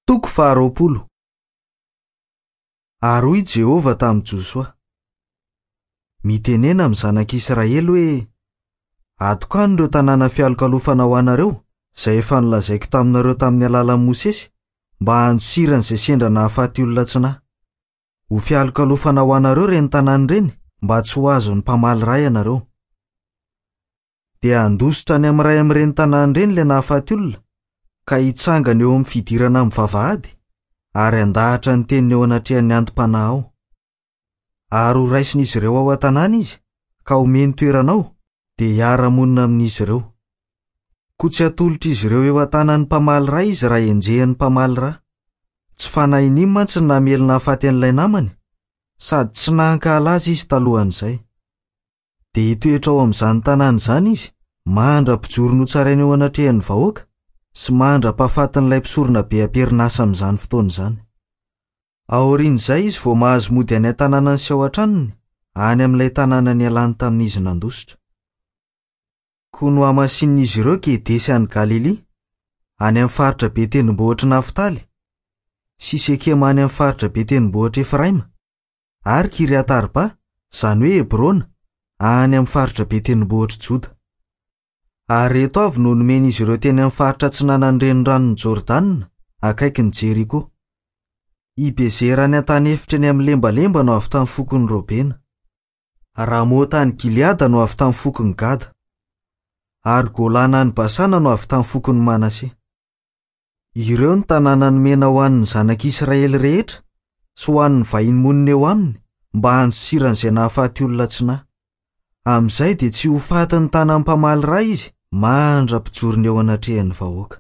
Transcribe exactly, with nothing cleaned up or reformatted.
Toko faharoapolo. Ary hoy Jehovah tamin'i Josoa: Mitenena amin'ny zanak'Israely hoe: Atokano ireo tanàna fialokalofana ho anareo, izay efa nolazaiko taminareo tamin'ny alalan'i Mosesy, mba handosirana izay sendra nahafaty olona tsy nahy. Ho fialokalofana ho anareo ireny tanàna ireny, mba tsy ho azon'ny mpamaly ra ianareo. Dia handositra any amin'ny iray amin'ireny tanàna ireny ilay nahafaty olona, ka hitsangana eo amin'ny fidirana amin'ny vavahady, ary handahatra ny teniny eo anatrehan'ny antom-panahy ao. Ary ho raisin'izy ireo ao an-tanàna izy, ka homeny toerana ao, dia hiara-monina amin'izy ireo. Koa tsy hatolotr'izy ireo eo an-tanan'ny mpamaly ra izy raha enjehin'ny mpamaly ra. Tsy fanahin'iny mantsy ny namely nahafaty an'ilay namany, sady tsy nankahala azy izy talohan'izay. Dia hitoetra ao amin'izany tanàna izany izy, mandra-pijoro notsaraina eo anatrehan'ny vahoaka sy mandra-pahafatin'ilay mpisorona be am-perinasa amin'izany fotoana izany. Aorian'izay izy vao mahazo mody any an-tanànany sy ao an-tranony, any amin'ilay tanàna nialany tamin'izy nandositra. Koa nohamasinin'izy ireo Kedesy any Galilia, any amin'ny faritra be tendrombohitr'i Naftaly, sy Sekema any amin'ny faritra be tendrombohitr'i Efraima, ary Kiriat-Arba, izany hoe Hebrona, any amin'ny faritra be tendrombohitr'i Joda. Ary ireto avy no nomen'izy ireo teny amin'ny faritra atsinanan'ny reniranon'i Jordana, akaikin'i Jeriko. I Bezera any an-tany efitra eny amin'ny lembalemba no avy tamin'ny fokon'i Robena. Ramota any Gileada no avy tamin'ny fokon'i Gada. Ary Golana any Basana no avy tamin'ny fokon'i Manase. Ireo ny tanàna nomena ho an'ny zanak'Israely rehetra sy ho an'ny vahiny monina eo aminy mba handosirana izay nahafaty olona tsy nahy. Amin'izay dia tsy ho fatin'ny tanan'ny mpamaly ra izy mandra-pijorony eo anatrehan'ny vahoaka.